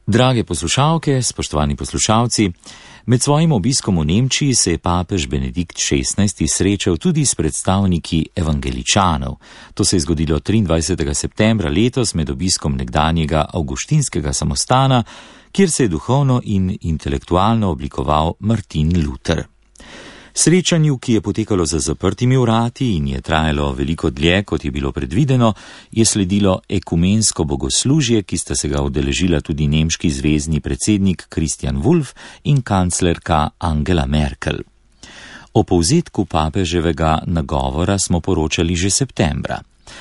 Drage poslušalke, spoštovani poslušalci, med svojim obiskom v Nemčiji se je papež Benedikt XVI srečal tudi s predstavniki evangeličanov. To se je zgodilo 23. septembra letos med obiskom nekdanjega avguštinskega samostana, kjer se je duhovno in intelektualno oblikoval Martin Luther. Srečanju, ki je potekalo za zaprtimi vrati in je trajalo veliko dlje, kot je bilo predvideno, je sledilo ekumensko bogoslužje, ki sta se ga udeležila tudi nemški zvezni predsednik Christian Wulff in kanclerka Angela Merkel. O povzetku papeževega nagovora smo poročali že septembra.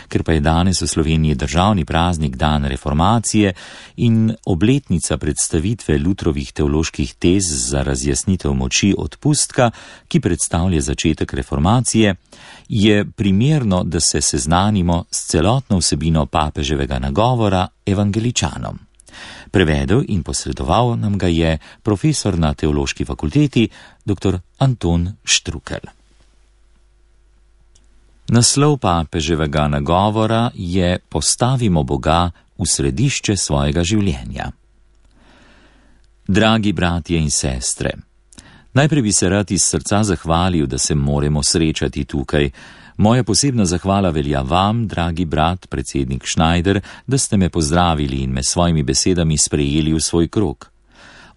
Ker pa je danes v Sloveniji državni praznik dan reformacije in obletnica predstavitve Lutherovih teoloških tez za razjasnitev moči odpustka, ki predstavlja začetek reformacije, je primerno, da se seznanimo s celotno vsebino papeževega nagovora evangeličanom. Prevedel in posredoval nam ga je profesor na Teološki fakulteti dr. Anton Štrukelj. Naslov papeževega nagovora je Postavimo Boga v središče svojega življenja. Dragi bratje in sestre, najprej bi se rad iz srca zahvalil, da se moremo srečati tukaj. Moja posebna zahvala velja vam, dragi brat, predsednik Schneider, da ste me pozdravili in me s svojimi besedami sprejeli v svoj krog.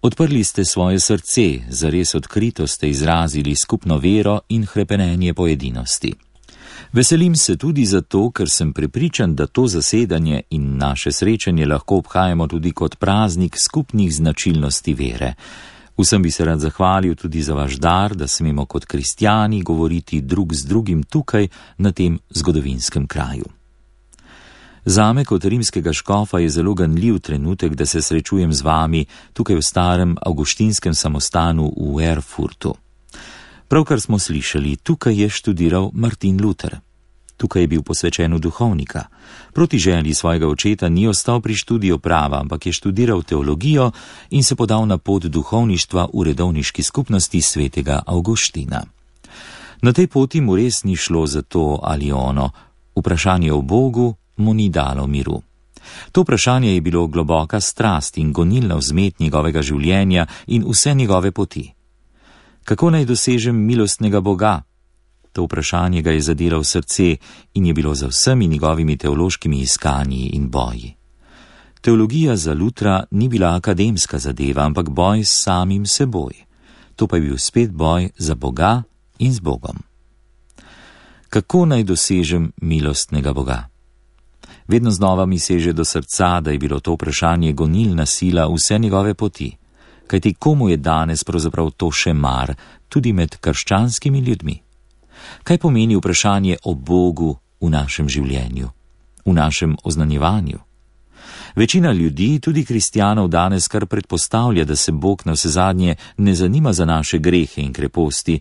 Odprli ste svoje srce, zares odkrito ste izrazili skupno vero in hrepenenje po edinosti. Veselim se tudi zato, ker sem prepričan, da to zasedanje in naše srečanje lahko obhajamo tudi kot praznik skupnih značilnosti vere. Vsem bi se rad zahvalil tudi za vaš dar, da smemo kot kristjani govoriti drug z drugim tukaj, na tem zgodovinskem kraju. Zame kot rimskega škofa je zelo ganljiv trenutek, da se srečujem z vami tukaj v starem avguštinskem samostanu v Erfurtu. Pravkar smo slišali, tukaj je študiral Martin Luther. Tukaj je bil posvečen v duhovnika. Proti želji svojega očeta ni ostal pri študiju prava, ampak je študiral teologijo in se podal na pot duhovništva v redovniški skupnosti svetega Avguština. Na tej poti mu res ni šlo za to ali ono. Vprašanje o Bogu mu ni dalo miru. To vprašanje je bilo globoka strast in gonilna vzmet njegovega življenja in vse njegove poti. Kako naj dosežem milostnega Boga? To vprašanje ga je zadelo v srce in je bilo za vsemi njegovimi teološkimi iskanji in boji. Teologija za Lutra ni bila akademska zadeva, ampak boj s samim seboj. To pa je bil spet boj za Boga in z Bogom. Kako naj dosežem milostnega Boga? Vedno znova mi seže do srca, da je bilo to vprašanje gonilna sila vse njegove poti. Kajti komu je danes pravzaprav to še mar, tudi med krščanskimi ljudmi? Kaj pomeni vprašanje o Bogu v našem življenju, v našem oznanjevanju? Večina ljudi, tudi kristjanov, danes kar predpostavlja, da se Bog na vsezadnje ne zanima za naše grehe in kreposti.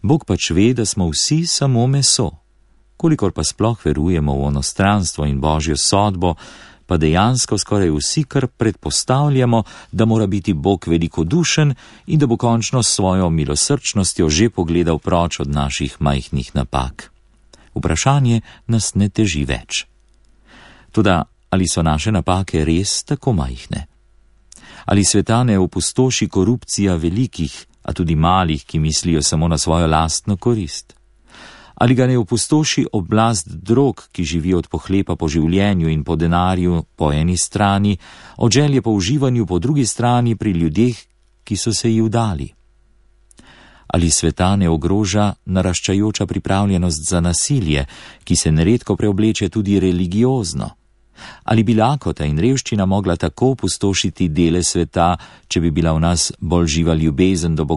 Bog pač ve, da smo vsi samo meso. Kolikor pa sploh verujemo v onostranstvo in Božjo sodbo, pa dejansko skoraj vsi kar predpostavljamo, da mora biti Bog velikodušen in da bo končno s svojo milosrčnostjo že pogledal proč od naših majhnih napak. Vprašanje nas ne teži več. Toda, ali so naše napake res tako majhne? Ali sveta ne opustoši korupcija velikih, a tudi malih, ki mislijo samo na svojo lastno korist? Ali ga ne opustoši oblast drog, ki živijo od pohlepa po življenju in po denarju po eni strani, od želje po uživanju po drugi strani pri ljudeh, ki so se ji vdali? Ali sveta ne ogroža naraščajoča pripravljenost za nasilje, ki se neredko preobleče tudi religiozno? Ali bi lakota in revščina mogla tako opustošiti dele sveta, če bi bila v nas bolj živa ljubezen do Boga